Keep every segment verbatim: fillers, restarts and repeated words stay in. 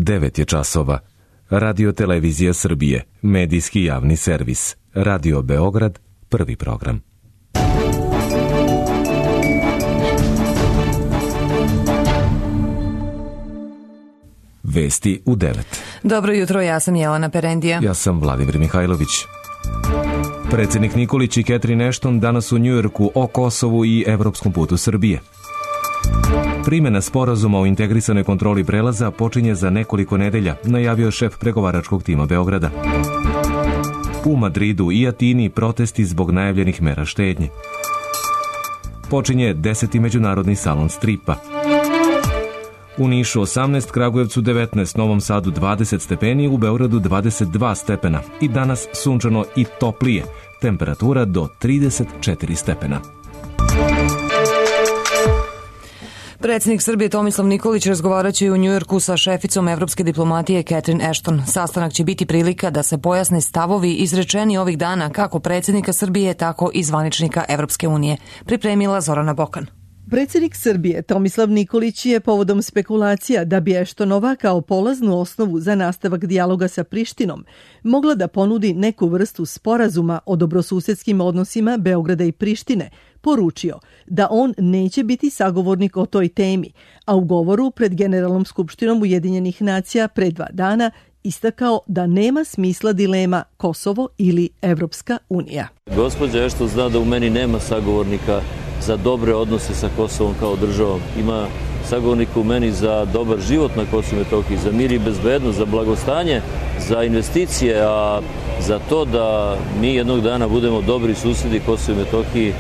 devet je časova. Radio Televizija Srbije, medijski javni servis. Radio Beograd, prvi program. Vesti u devet. Dobro jutro, ja sam Jelena Perendija. Ja sam Vladimir Mihajlović. Predsjednik Nikolić i Catherine Ashton danas u Njujorku o Kosovu i evropskom putu Srbije. Primjena sporazuma o integrisanoj kontroli prelaza počinje za nekoliko nedelja, najavio šef pregovaračkog tima Beograda. U Madridu i Atini protesti zbog najavljenih mera štednje. Počinje deseti međunarodni salon stripa. U Nišu osamnaest, Kragujevcu devetnaest, Novom Sadu dvadeset stepeni, u Beogradu dvadeset dva stepena i danas sunčano i toplije, temperatura do trideset četiri stepena. Predsjednik Srbije Tomislav Nikolić razgovarat će u Njujorku sa šeficom evropske diplomatije Catherine Ashton. Sastanak će biti prilika da se pojasne stavovi izrečeni ovih dana kako predsjednika Srbije, tako i zvaničnika Evropske unije. Pripremila Zorana Bokan. Predsjednik Srbije Tomislav Nikolić je povodom spekulacija da bi Ashtonova kao polaznu osnovu za nastavak dijaloga sa Prištinom mogla da ponudi neku vrstu sporazuma o dobrosusedskim odnosima Beograda i Prištine, poručio da on neće biti sagovornik o toj temi, a u govoru pred Generalnom skupštinom Ujedinjenih nacija pre dva dana istakao da nema smisla dilema Kosovo ili Evropska unija. Gospođa Ashton zna da u meni nema sagovornika za dobre odnose sa Kosovom kao državom. Ima sagovornika u meni za dobar život na Kosovu i Metohiji, za mir i bezbednost, za blagostanje, za investicije, a za to da mi jednog dana budemo dobri susjedi Kosovu i Metohiji,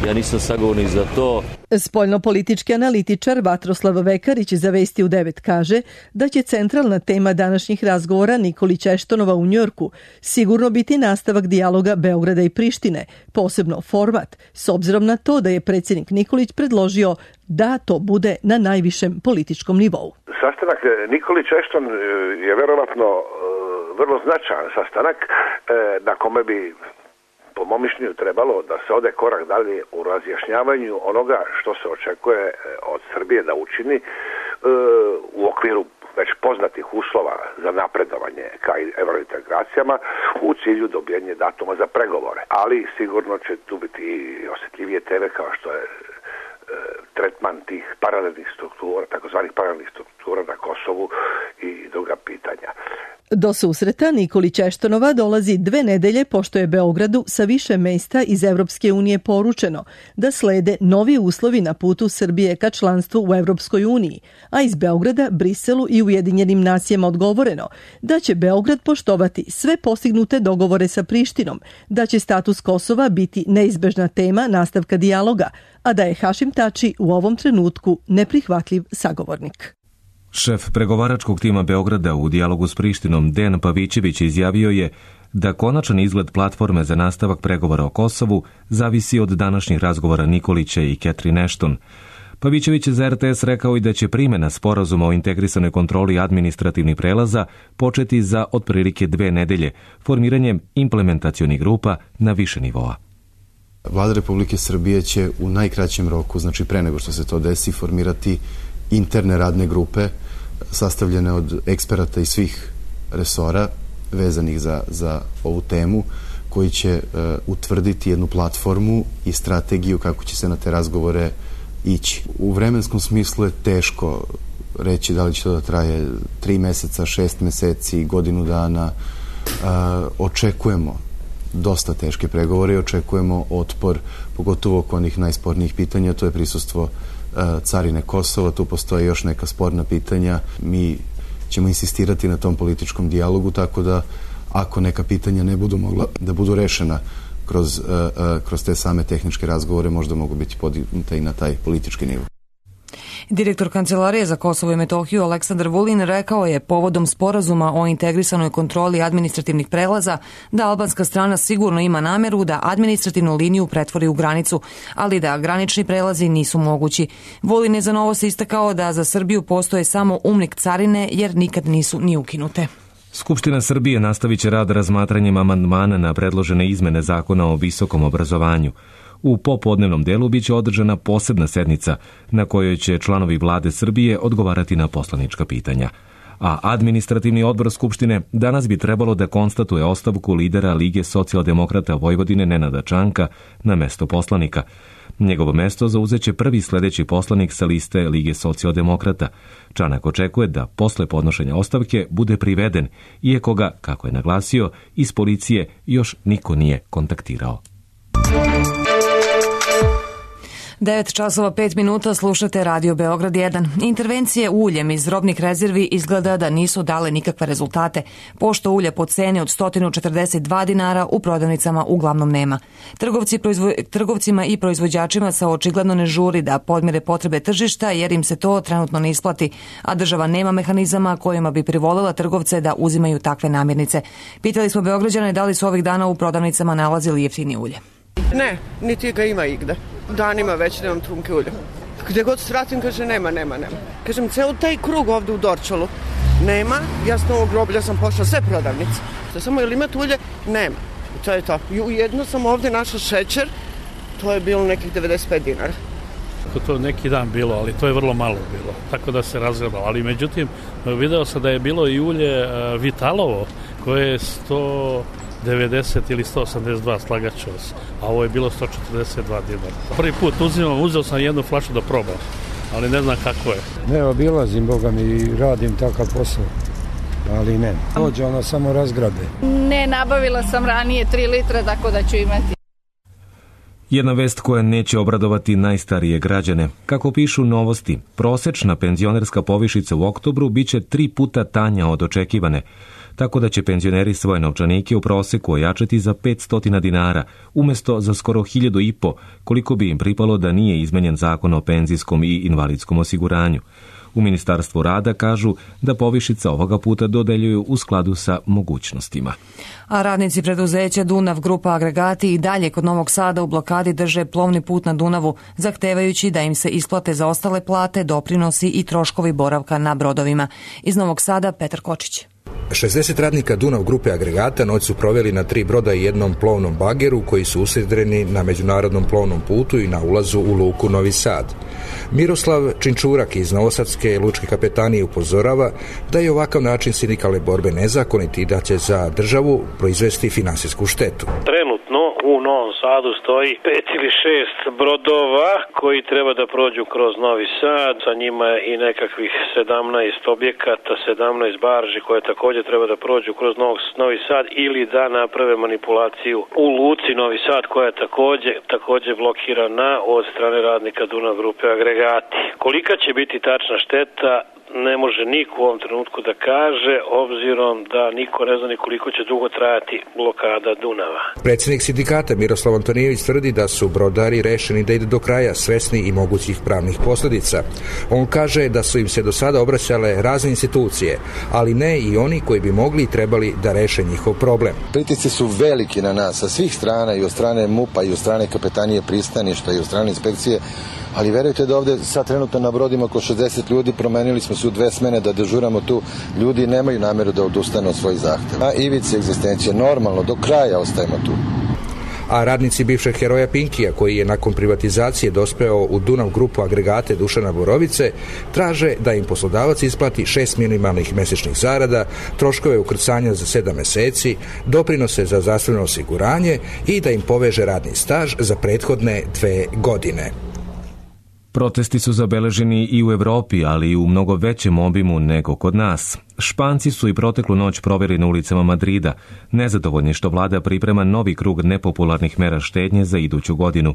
ja nisam sagovornik za to. Spoljnopolitički analitičar Vatroslav Vekarić za Vesti u devet kaže da će centralna tema današnjih razgovora Nikolić Ashtonova u Njujorku sigurno biti nastavak dijaloga Beograda i Prištine, posebno format, s obzirom na to da je predsjednik Nikolić predložio da to bude na najvišem političkom nivou. Sastanak Nikolić Ashton je verovatno vrlo značajan sastanak na kome bi po mom mišljenju trebalo da se ode korak dalje u razjašnjavanju onoga što se očekuje od Srbije da učini u okviru već poznatih uslova za napredovanje ka evrointegracijama u cilju dobijenja datuma za pregovore. Ali sigurno će tu biti i osjetljivije teme kao što je tretman tih paralelnih struktura, takozvanih paralelnih struktura na Kosovu i druga pitanja. Do susreta Nikolić Ashtonova dolazi dve nedelje pošto je Beogradu sa više mesta iz Evropske unije poručeno da slede novi uslovi na putu Srbije ka članstvu u Evropskoj uniji, a iz Beograda, Briselu i Ujedinjenim nacijama odgovoreno da će Beograd poštovati sve postignute dogovore sa Prištinom, da će status Kosova biti neizbežna tema nastavka dijaloga, a da je Hašim Tači u ovom trenutku neprihvatljiv sagovornik. Šef pregovaračkog tima Beograda u dijalogu s Prištinom Dejan Pavićević izjavio je da konačan izgled platforme za nastavak pregovora o Kosovu zavisi od današnjih razgovora Nikolića i Catherine Ashton. Pavićević je za er te es rekao i da će primjena sporazuma o integrisanoj kontroli administrativnih prelaza početi za otprilike dve nedelje, formiranjem implementacionih grupa na više nivoa. Vlada Republike Srbije će u najkraćem roku, znači pre nego što se to desi, formirati interne radne grupe sastavljene od eksperata iz svih resora vezanih za, za ovu temu, koji će uh, utvrditi jednu platformu i strategiju kako će se na te razgovore ići. U vremenskom smislu je teško reći da li će to da traje tri meseca, šest meseci, godinu dana. Uh, očekujemo dosta teške pregovore i očekujemo otpor, pogotovo oko onih najspornijih pitanja, to je prisustvo carine Kosova, tu postoje još neka sporna pitanja. Mi ćemo insistirati na tom političkom dijalogu, tako da ako neka pitanja ne budu mogla da budu rešena kroz, kroz te same tehničke razgovore, možda mogu biti podignuta i na taj politički nivo. Direktor Kancelarije za Kosovo i Metohiju Aleksandar Vulin rekao je povodom sporazuma o integrisanoj kontroli administrativnih prelaza da albanska strana sigurno ima nameru da administrativnu liniju pretvori u granicu, ali da granični prelazi nisu mogući. Vulin je za Novost istakao da za Srbiju postoje samo umnik carine jer nikad nisu ni ukinute. Skupština Srbije nastavit će rad razmatranjem amandmana na predložene izmene zakona o visokom obrazovanju. U popodnevnom delu biće održana posebna sednica na kojoj će članovi vlade Srbije odgovarati na poslanička pitanja. a administrativni odbor Skupštine danas bi trebalo da konstatuje ostavku lidera Lige socijaldemokrata Vojvodine Nenada Čanka na mesto poslanika. Njegovo mesto zauzeće prvi sledeći poslanik sa liste Lige socijaldemokrata. Čanak očekuje da posle podnošenja ostavke bude priveden, iako ga, kako je naglasio, iz policije još niko nije kontaktirao. devet časova pet minuta, slušate Radio Beograd jedan. Intervencije uljem iz robnih rezervi izgleda da nisu dale nikakve rezultate, pošto ulja po ceni od sto četrdeset dva dinara u prodavnicama uglavnom nema. Trgovci, proizvo, trgovcima i proizvođačima se očigledno ne žuri da podmire potrebe tržišta jer im se to trenutno ne isplati, a država nema mehanizama kojima bi privolila trgovce da uzimaju takve namirnice. Pitali smo Beograđane da li su ovih dana u prodavnicama nalazili jeftinije ulje. Ne, niti ga ima igde. Danima već nemam trunke ulja. Gde god svratim, kaže nema, nema, nema. Kažem, ceo taj krug ovde u Dorčalu nema. Ja s Novog groblja sam pošla sve prodavnice. Samo ili imate ulje? Nema. I to je to. I ujedno sam ovde našla šećer. To je bilo nekih devedeset pet dinara. To je neki dan bilo, ali to je vrlo malo bilo. Tako da se razgledalo. Ali međutim, video sam da je bilo i ulje Vitalovo, koje je sto devedeset ili sto osamdeset dva, slagaću vas, a ovo je bilo sto četrdeset dva dinara. Prvi put uzimam, uzeo sam jednu flašu da probam, ali ne znam kako je. Ne, obilazim, Boga mi, i radim takav posao, ali ne. Dođe ona samo razgrabe. Ne, nabavila sam ranije tri litra, tako da ću imati. Jedna vest koja neće obradovati najstarije građane. Kako pišu Novosti, prosečna penzionerska povišica u oktobru biće tri puta tanja od očekivane, tako da će penzioneri svoje novčanike u proseku ojačati za petsto dinara, umesto za skoro hiljadu i po, koliko bi im pripalo da nije izmenjen zakon o penzijskom i invalidskom osiguranju. U Ministarstvu rada kažu da povišica ovoga puta dodeljuju u skladu sa mogućnostima. A radnici preduzeća Dunav Grupa Agregati i dalje kod Novog Sada u blokadi drže plovni put na Dunavu, zahtevajući da im se isplate za ostale plate, doprinosi i troškovi boravka na brodovima. Iz Novog Sada Petar Kočić. šezdeset radnika Dunav Grupe Agregata noć su proveli na tri broda i jednom plovnom bageru koji su usidreni na međunarodnom plovnom putu i na ulazu u luku Novi Sad. Miroslav Činčurak iz Novosadske lučke kapetanije upozorava da je ovakav način sindikalne borbe nezakonit i da će za državu proizvesti finansijsku štetu. Trenutno u Novom Sadu stoji pet ili šest brodova koji treba da prođu kroz Novi Sad, sa njima i nekakvih sedamnaest objekata, sedamnaest barži koje također treba da prođu kroz Novi Sad ili da naprave manipulaciju u luci Novi Sad koja je također, također blokirana od strane radnika Dunav Grupe Agregati. Kolika će biti tačna šteta ne može niko u ovom trenutku da kaže, obzirom da niko ne zna ni koliko će dugo trajati blokada Dunava. Predsjednik sindikata Miroslav Antonijević tvrdi da su brodari rešeni da idu do kraja, svesni i mogućih pravnih posljedica. On kaže da su im se do sada obraćale razne institucije, ali ne i oni koji bi mogli i trebali da reše njihov problem. Pritisci su veliki na nas sa svih strana, i od strane MUP-a i od strane kapetanije pristaništa i od strane inspekcije, ali verujte da ovde sad trenutno na brodima oko šezdeset ljudi, promenili smo se u dve smene da dežuramo tu, ljudi nemaju nameru da odustanu od svojih zahteva. Na ivici egzistencije, normalno, do kraja ostajemo tu. A radnici bivšeg heroja Pinkija, koji je nakon privatizacije dospeo u Dunav Grupu Agregate Dušana Borovice, traže da im poslodavac isplati šest minimalnih mesečnih zarada, troškove ukrcanja za sedam meseci, doprinose za zdravstveno osiguranje i da im poveže radni staž za prethodne dve godine. Protesti su zabeleženi i u Evropi, ali i u mnogo većem obimu nego kod nas. Španci su i proteklu noć proveli na ulicama Madrida, nezadovoljni što vlada priprema novi krug nepopularnih mera štednje za iduću godinu.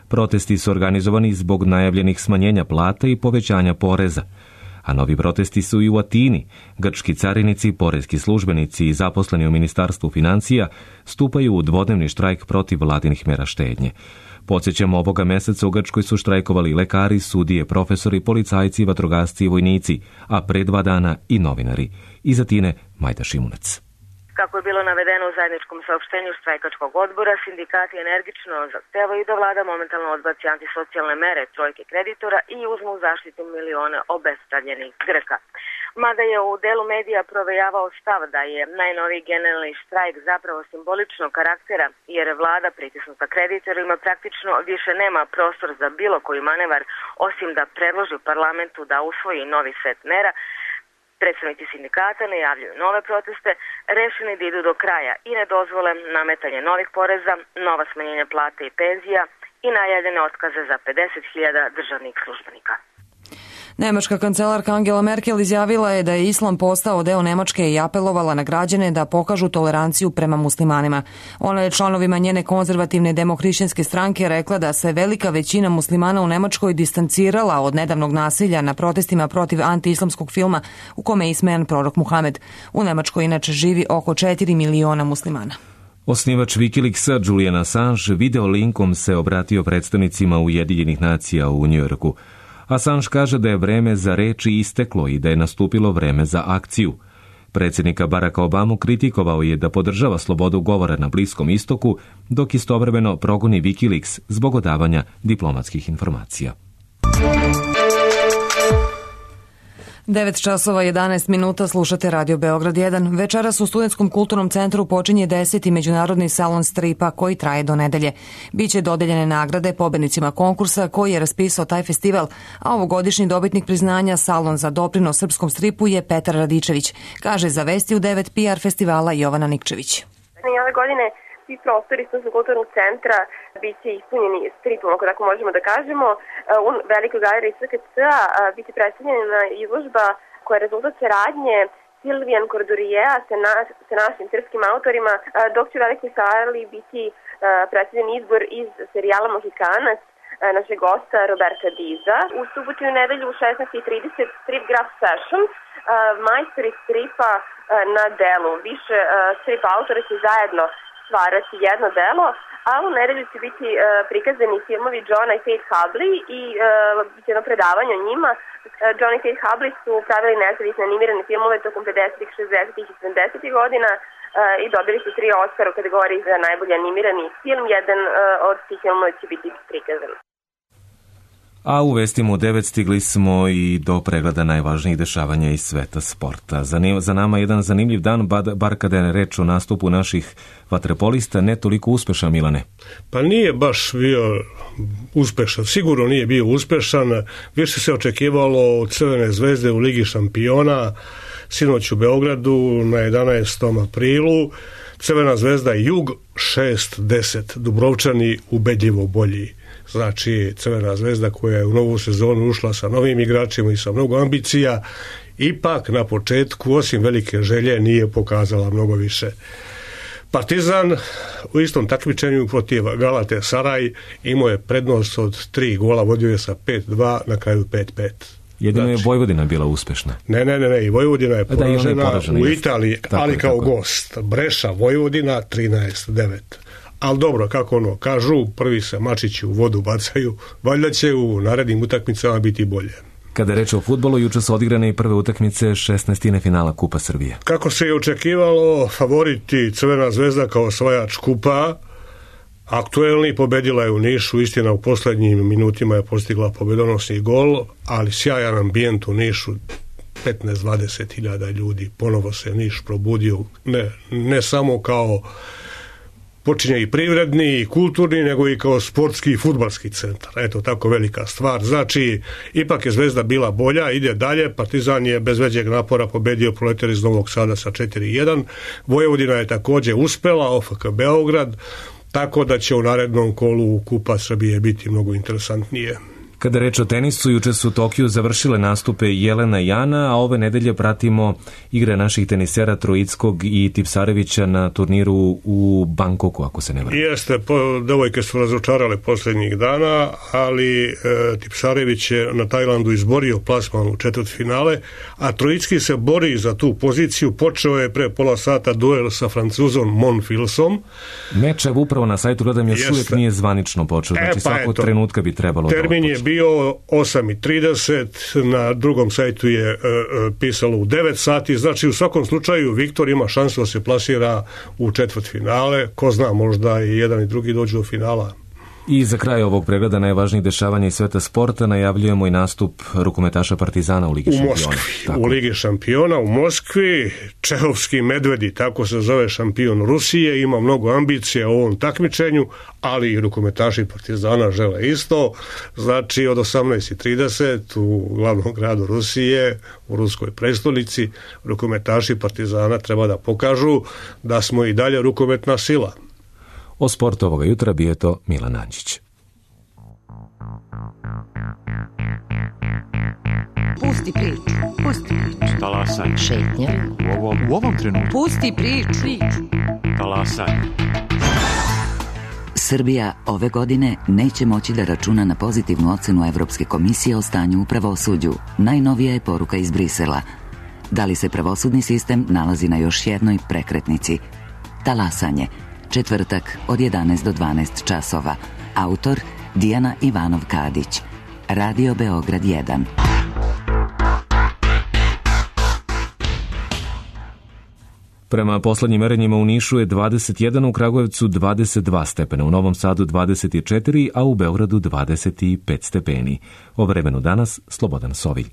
Protesti su organizovani zbog najavljenih smanjenja plata i povećanja poreza. A novi protesti su i u Atini. Grčki carinici, poreski službenici i zaposleni u Ministarstvu financija stupaju u dvodnevni štrajk protiv vladinih mera štednje. Podsjećamo, ovoga meseca u Grčkoj su štrajkovali lekari, sudije, profesori, policajci, vatrogasci i vojnici, a pre dva dana i novinari. Iz Atine Majda Šimunac. Kako je bilo navedeno u zajedničkom saopštenju štrajkačkog odbora, sindikati energično zahtevaju da vlada momentalno odbaci antisocijalne mere trojke kreditora i uzmu u zaštitu milione obespravljenih Grka. Mada je u delu medija provejavao stav da je najnoviji generalni štrajk zapravo simboličnog karaktera, jer vlada pritisnuta kreditorima praktično više nema prostor za bilo koji manevar, osim da predloži parlamentu da usvoji novi set mera. Predstavnici sindikata najavljuju nove proteste, rešeni da idu do kraja i ne dozvole nametanje novih poreza, nova smanjenja plate i penzija i najavljene otkaze za pedeset hiljada državnih službenika. Nemačka kancelarka Angela Merkel izjavila je da je islam postao deo Nemačke i apelovala na građane da pokažu toleranciju prema muslimanima. Ona je članovima njene konzervativne demohrišćanske stranke rekla da se velika većina muslimana u Nemačkoj distancirala od nedavnog nasilja na protestima protiv antiislamskog filma u kome je ismejan prorok Muhamed. U Nemačkoj inače živi oko četiri miliona muslimana. Osnivač Wikileaksa Julian Assange video linkom se obratio predstavnicima Ujedinjenih nacija u Njujorku. Assange kaže da je vreme za reči isteklo i da je nastupilo vreme za akciju. Predsjednika Baracka Obamu kritikovao je da podržava slobodu govora na Bliskom istoku, dok istovremeno progoni Wikileaks zbog odavanja diplomatskih informacija. devet časova jedanaest minuta, slušate Radio Beograd jedan. Večeras u Studentskom kulturnom centru počinje deseti međunarodni salon stripa koji traje do nedelje. Biće dodeljene nagrade pobednicima konkursa koji je raspisao taj festival, a ovogodišnji dobitnik priznanja Salon za doprinos srpskom stripu je Petar Radičević, kaže za Vesti u devet P R festivala Jovana Nikčević. Ove godine svi prostori Studenskog kulturnog centra biće ispunjeni stripom, ako tako možemo da kažemo. U velikoj galeriji S K C-a biće predstavljena izložba koja je rezultat saradnje Silvijan Kordurijeja sa, na, sa našim srpskim autorima, dok će u velikoj sali biti predstavljen izbor iz serijala Mohikanac našeg gosta Roberta Diza. U subotu i nedelju u šesnaest i trideset Strip Graph Session, majstori stripa na delu. Više strip autora će zajedno stvarati jedno delo, a u nedelju će biti uh, prikazani filmovi Johna i Faith Hubley i uh, jedno predavanje o njima. Uh, John i Faith Hubley su pravili nezavisne animirane filmove tokom pedesetih, šezdesetih i sedamdesetih godina uh, i dobili su tri Oscara u kategoriji za najbolji animirani film. Jedan uh, od tih filmova će biti prikazan. A u vestima u devet stigli smo i do pregleda najvažnijih dešavanja iz sveta sporta. Za nama jedan zanimljiv dan, bar kada je reč o nastupu naših vaterpolista, ne toliko uspešan, Milane. Pa nije baš bio uspešan, sigurno nije bio uspešan. Više se očekivalo od Crvene zvezde u Ligi šampiona, sinoć u Beogradu na jedanaestom aprilu. Crvena zvezda Jug šest deset, Dubrovčani ubedljivo bolji. Znači, Crvena zvezda koja je u novu sezonu ušla sa novim igračima i sa mnogo ambicija, ipak na početku, osim velike želje, nije pokazala mnogo više. Partizan u istom takmičenju protiv Galate Saraj imao je prednost od tri gola, vodio je sa pet dva, na kraju pet pet. Jedino znači, je Vojvodina bila uspešna. Ne, ne, ne, ne, i Vojvodina je poražena, poražena u Italiji, tako, ali kao tako. Gost. Breša, Vojvodina, trinaest devet. Ali dobro, kako ono, kažu, prvi se mačići u vodu bacaju, valjda će u narednim utakmicama biti bolje. Kada je reč o fudbalu, juče su odigrane i prve utakmice šesnaestine finala Kupa Srbije. Kako se je očekivalo, favoriti Crvena zvezda kao osvajač kupa, aktuelni, pobedila je u Nišu, istina u poslednjim minutima je postigla pobedonosni gol, ali sjajan ambijent u Nišu, petnaest do dvadeset hiljada ljudi, ponovo se Niš probudio, ne, ne samo kao počinje i privredni i kulturni, nego i kao sportski i fudbalski centar. Eto, tako velika stvar. Znači, ipak je Zvezda bila bolja, ide dalje, Partizan je bez većeg napora pobedio Proletar iz Novog Sada sa četiri jedan, Vojvodina je takođe uspela, O F K Beograd, tako da će u narednom kolu Kupa Srbije biti mnogo interesantnije. Kada reč o tenisu, juče su u Tokiju završile nastupe Jelena i Jana, a ove nedelje pratimo igre naših tenisera Trojickog i Tipsarevića na turniru u Bangkoku, ako se ne varam. Jeste, po, devojke su razočarale posljednjih dana, ali e, Tipsarević je na Tajlandu izborio plasman u četvrtfinale, a Trojicki se bori za tu poziciju. Počeo je pre pola sata duel sa Francuzom Monfilsom. Meč upravo na sajtu gledam još uvijek nije zvanično počeo, znači e, pa svakog eto, trenutka bi trebalo da termin je bio osam i trideset, na drugom sajtu je e, pisalo u devet sati, znači u svakom slučaju Viktor ima šansu da se plasira u četvrtfinale, ko zna, možda i jedan i drugi dođu do finala. I za kraj ovog pregleda najvažnijih dešavanja iz sveta sporta najavljujemo i nastup rukometaša Partizana u Ligi u šampiona. Moskvi. Tako. U Ligi šampiona u Moskvi, Čehovski medvedi, tako se zove šampion Rusije, ima mnogo ambicija u ovom takmičenju, ali i rukometaši Partizana žele isto. Znači od osamnaest i trideset u glavnom gradu Rusije, u ruskoj prestolnici, rukometaši Partizana treba da pokažu da smo i dalje rukometna sila. O sportu ovoga jutra bio je to Milan Anđić. Pusti priču, pusti priču. Talasaj. Šetnja. U ovom, u ovom trenutku. Pusti priču. Talasaj. Srbija ove godine neće moći da računa na pozitivnu ocenu Evropske komisije o stanju u pravosuđu. Najnovija je poruka iz Brisela. Da li se pravosudni sistem nalazi na još jednoj prekretnici? Talasanje. Četvrtak od jedanaest do dvanaest časova. Autor Dijana Ivanov-Kadić. Radio Beograd jedan. Prema poslednjim merenjima u Nišu je dvadeset jedan, u Kragujevcu dvadeset dva stepena, u Novom Sadu dvadeset četiri, a u Beogradu dvadeset pet stepeni. O vremenu danas Slobodan Sovilj.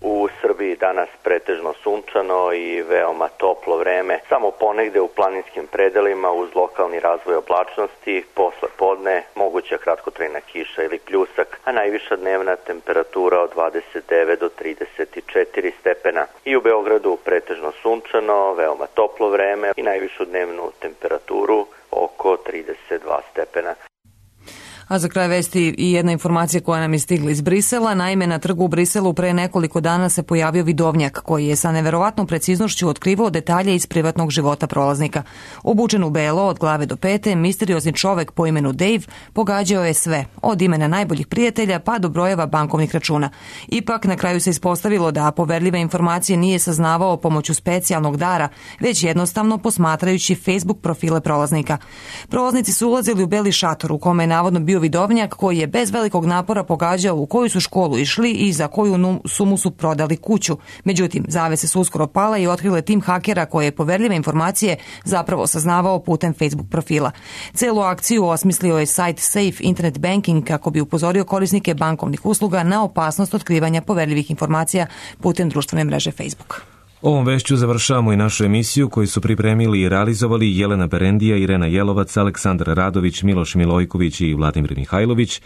U Srbiji danas pretežno sunčano i veoma toplo vreme. Samo ponegde u planinskim predelima uz lokalni razvoj oblačnosti, posle podne moguća kratkotrajna kiša ili pljusak, a najviša dnevna temperatura od dvadeset devet do trideset četiri stepena. I u Beogradu pretežno sunčano, veoma toplo vreme i najvišu dnevnu temperaturu oko trideset dva stepena. A za kraj vesti i jedna informacija koja nam je stigla iz Brisela. Naime, na trgu u Briselu pre nekoliko dana se pojavio vidovnjak koji je sa neverovatnom preciznošću otkrivao detalje iz privatnog života prolaznika. Obučen u belo od glave do pete, misteriozni čovek po imenu Dave pogađao je sve, od imena najboljih prijatelja pa do brojeva bankovnih računa. Ipak, na kraju se ispostavilo da poverljive informacije nije saznavao pomoću specijalnog dara, već jednostavno posmatrajući Facebook profile prolaznika. Prolaznici su ulazili u beli šator u kome je navodno bio vidovnjak koji je bez velikog napora pogađao u koju su školu išli i za koju sumu su prodali kuću. Međutim, zavese su uskoro pale i otkrile tim hakera koje je poverljive informacije zapravo saznavao putem Facebook profila. Celu akciju osmislio je sajt Safe Internet Banking kako bi upozorio korisnike bankovnih usluga na opasnost otkrivanja poverljivih informacija putem društvene mreže Facebook. Ovom vešću završavamo i našu emisiju koju su pripremili i realizovali Jelena Berendija, Irena Jelovac, Aleksandar Radović, Miloš Milojković i Vladimir Mihajlović.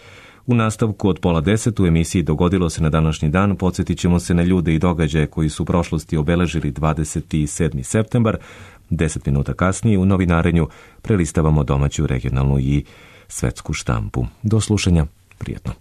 U nastavku od pola deset u emisiji Dogodilo se na današnji dan podsjetit ćemo se na ljude i događaje koji su u prošlosti obeležili dvadeset sedmi septembar. Deset minuta kasnije u novinarenju prelistavamo domaću, regionalnu i svetsku štampu. Do slušanja, prijetno.